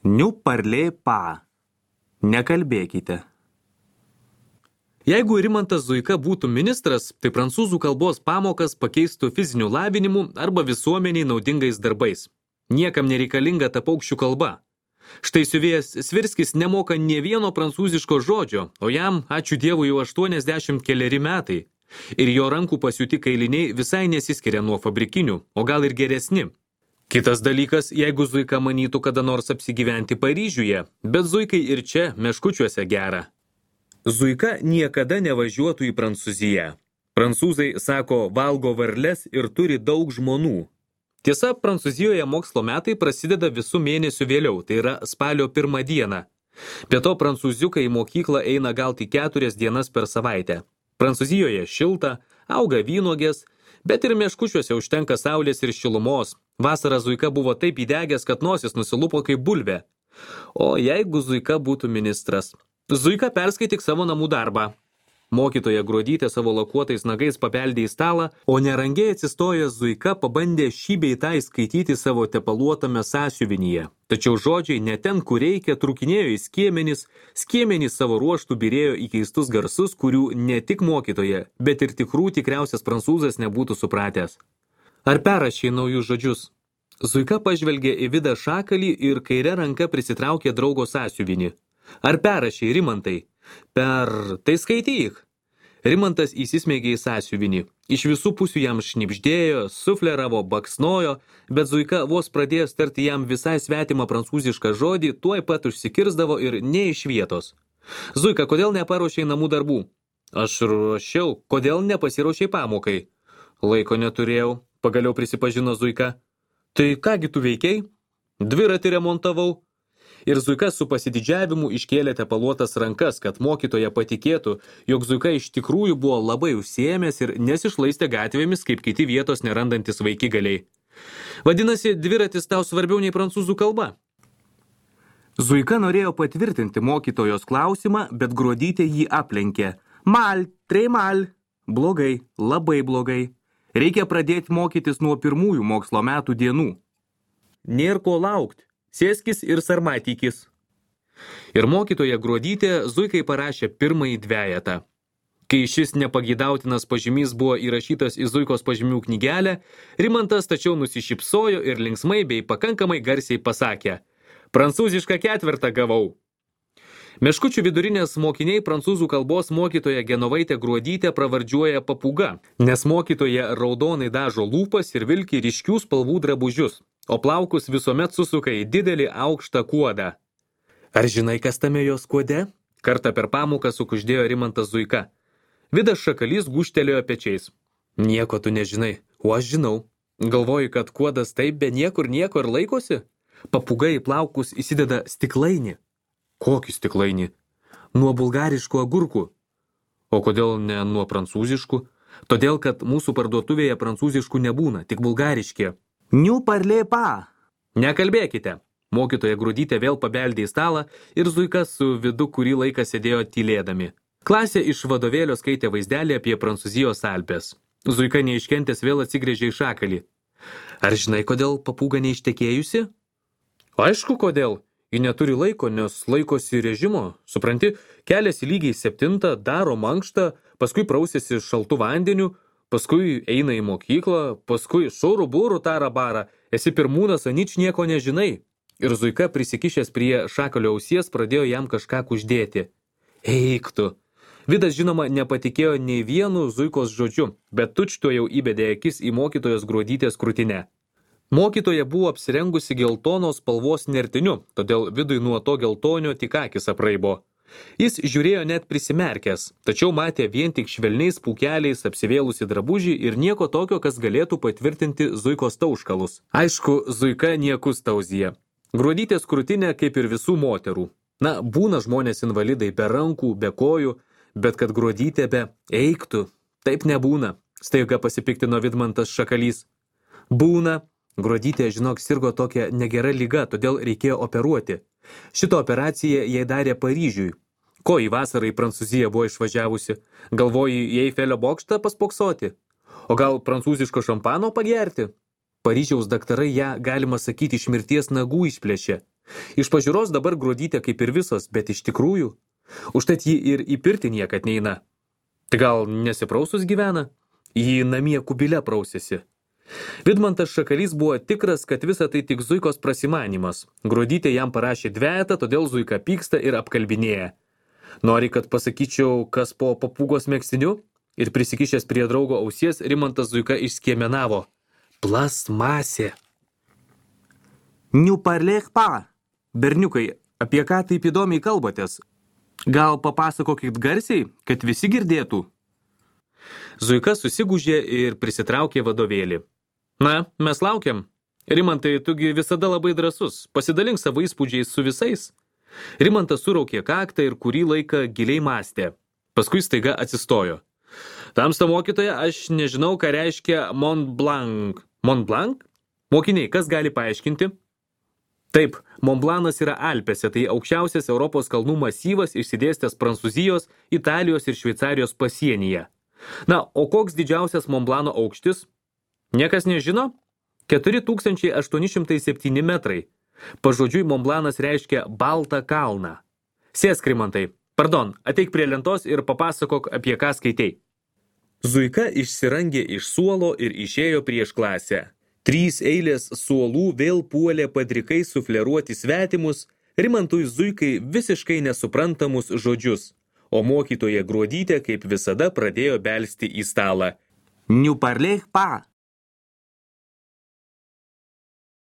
Ne parlez pas. Nekalbėkite. Jeigu Rimantas Zuika būtų ministras, tai prancūzų kalbos pamokas pakeistų fiziniu lavinimu arba visuomeniai naudingais darbais. Niekam nereikalinga ta paukščių kalba. Štai siuvėjas Svirskis nemoka nė vieno prancūziško žodžio, o jam, ačiū Dievui, jau 80 keleri metai. Ir jo rankų pasiūti kailiniai visai nesiskiria nuo fabrikinių, o gal ir geresni. Kitas dalykas, jeigu Zuika manytų kada nors apsigyventi Paryžiuje, bet Zuikai ir čia meškučiuose gera. Zuika niekada nevažiuotų į Prancūziją. Prancūzai, sako, valgo varles ir turi daug žmonų. Tiesa, Prancūzijoje mokslo metai prasideda visų mėnesių vėliau, tai yra spalio 1 dieną. Be to, prancūziukai į mokyklą eina gal tik 4 dienas per savaitę. Prancūzijoje šilta, auga vynuogės, bet ir meškučiuose užtenka saulės ir šilumos. Vasarą Zuika buvo taip įdegęs, kad nosis nusilupo kaip bulvė. O jeigu Zuika būtų ministras? Zuika perskaityk savo namų darbą. Mokytoja Gruodytė savo lakuotais nagais pabeldė į stalą, o nerangiai atsistojęs Zuika pabandė šį bei tą įskaityti savo tepaluotame sąsiuvinyje. Tačiau žodžiai ne ten, kur reikia, trūkinėjo į skiemenys savo ruoštų birėjo į keistus garsus, kurių ne tik mokytoja, bet ir tikriausias prancūzas nebūtų supratęs. Ar perrašė naujus žodžius? Zuika pažvelgė į Vidą Šakalį ir kaire ranka prisitraukė draugo sąsiuvinį. Ar perrašė, Rimantai? Tai skaityk. Rimantas įsismeigė į sąsiuvinį. Iš visų pusių jam šnibždėjo, sufleravo, baksnojo, bet Zuika vos pradėjęs tarti jam visai svetimą prancūzišką žodį, tuoj pat užsikirsdavo ir ne iš vietos. Zuika, kodėl neparuošei namų darbų? Aš ruošiau, kodėl nepasiruošei pamokai? Laiko neturėjau, pagaliau prisipažino Zuika. Tai kągi tu veikiai? Dviratį remontavau. Ir Zuika su pasididžiavimu iškėlė tepaluotas rankas, kad mokytoja patikėtų, jog Zuika iš tikrųjų buvo labai užsiėmęs ir nesišlaistė gatvėmis, kaip kiti vietos nerandantis vaikigaliai. Vadinasi, dviratis tau svarbiau nei prancūzų kalba. Zuika norėjo patvirtinti mokytojos klausimą, bet Gruodytė jį aplenkė. Très mal. Blogai, labai blogai. Reikia pradėti mokytis nuo pirmųjų mokslo metų dienų. Nėr ko laukti. Sėskis ir sarmatykis. Ir mokytoja Gruodytė Zuikai parašė pirmąjį dvejetą. Kai šis nepageidautinas pažymys buvo įrašytas į Zuikos pažymių knygelę, Rimantas tačiau nusišypsojo ir linksmai bei pakankamai garsiai pasakė: Prancūzišką 4 gavau. Meškučių vidurinės mokiniai prancūzų kalbos mokytoja Genovaitė Gruodytė pravardžiuoja papūga, nes mokytoja raudonai dažo lūpas ir vilki ryškių spalvų drabužius, o plaukus visuomet susuka į didelį aukštą kuodą. Ar žinai, kas tame jos kuode? Kartą per pamoką sukuždėjo Rimantas Zuika. Vidas Šakalys gūžtelėjo pečiais. Nieko tu nežinai, o aš žinau. Galvoju, kad kuodas taip be niekur nieko ir laikosi? Papūga į plaukus įsideda stiklainį. Kokį stiklainį? Nuo bulgariškų agurkų. O kodėl ne nuo prancūziškų? Todėl, kad mūsų parduotuvėje prancūziškų nebūna, tik bulgariški. Ne parlez pas. Nekalbėkite. Mokytoja Gruodytė vėl pabeldė į stalą ir Zuika su Vidu kurį laiką sėdėjo tylėdami. Klasė iš vadovėlio skaitė vaizdelį apie Prancūzijos Alpes. Zuika neiškentęs vėl atsigręžė į Šakalį. Ar žinai, kodėl papūga neištekėjusi? Aišku, kodėl. Ji neturi laiko, nes laikosi režimo. Supranti, keliasi lygiai 7, daro mankštą, paskui prausėsi šaltu vandeniu, paskui eina į mokyklą, paskui šurų būrų tarą barą, esi pirmūnas, anič nieko nežinai. Ir Zuika prisikišęs prie Šakalio ausies pradėjo jam kažką kuždėti. Eik tu. Vidas žinoma nepatikėjo nei vienu Zuikos žodžiu, bet tučto jau įbedė akis į mokytojos Gruodytės krūtinę. Mokytoja buvo apsirengusi geltonos spalvos nertiniu, todėl Vidui nuo to geltonio tik akis apraibo. Jis žiūrėjo net prisimerkęs, tačiau matė vien tik švelniais pūkeliais apsivėlusi drabužį ir nieko tokio, kas galėtų patvirtinti Zuikos tauškalus. Aišku, Zuika niekus tauzija. Gruodytės krūtinė kaip ir visų moterų. Na, būna žmonės invalidai be rankų, be kojų, bet kad Gruodytė be eiktų, taip nebūna, staiga pasipiktino Vidmantas Šakalys. Būna. Gruodytė, žinok, sirgo tokia negera liga, todėl reikėjo operuoti. Šitą operaciją jai darė Paryžiui. Ko į vasarą į Prancūziją buvo išvažiavusi? Galvoji į Eifelio bokštą paspoksoti? O gal prancūziško šampano pagerti? Paryžiaus daktarai ją, galima sakyti, iš mirties nagų išplėšė. Iš pažiūros dabar Gruodytė kaip ir visos, bet iš tikrųjų. Užtat ji ir į pirtį niekad neina. Tai gal nesiprausus gyvena? Ji namie kubile prausėsi. Vidmantas Šakalys buvo tikras, kad visa tai tik Zuikos prasimanimas. Gruodytė jam parašė dvejetą, todėl Zuika pyksta ir apkalbinėja. Nori, kad pasakyčiau, kas po papūgos megztiniu? Ir prisikišęs prie draugo ausies, Rimantas Zuika išskiemenavo. Plastmasė. Ne parlez pas. Berniukai, apie ką taip įdomiai kalbatės? Gal papasakokit garsiai, kad visi girdėtų? Zuika susigūžė ir prisitraukė vadovėlį. Na, mes laukiam. Rimantai, tugi visada labai drąsus. Pasidalink savo įspūdžiais su visais. Rimantas suraukė kaktą ir kurį laiką giliai mąstė. Paskui staiga atsistojo. Tamsta mokytoja, aš nežinau, ką reiškia Mont Blanc. Mont Blanc? Mokiniai, kas gali paaiškinti? Taip, Mont Blancas yra Alpėse, tai aukščiausias Europos kalnų masyvas išsidėstęs Prancūzijos, Italijos ir Šveicarijos pasienyje. Na, o koks didžiausias Mont Blanco aukštis? Niekas nežino? 4807 metrai. Pažodžiui, Mont Blancas reiškia baltą kalną. Sėsk, Rimantai. Pardon, ateik prie lentos ir papasakok, apie ką skaitei. Zuika išsirangė iš suolo ir išėjo prieš klasę. 3 eilės suolų vėl puolė padrikai sufleruoti svetimus, Rimantui Zuikai visiškai nesuprantamus žodžius, o mokytoja Gruodytė kaip visada pradėjo belsti į stalą. Ne parlez pas.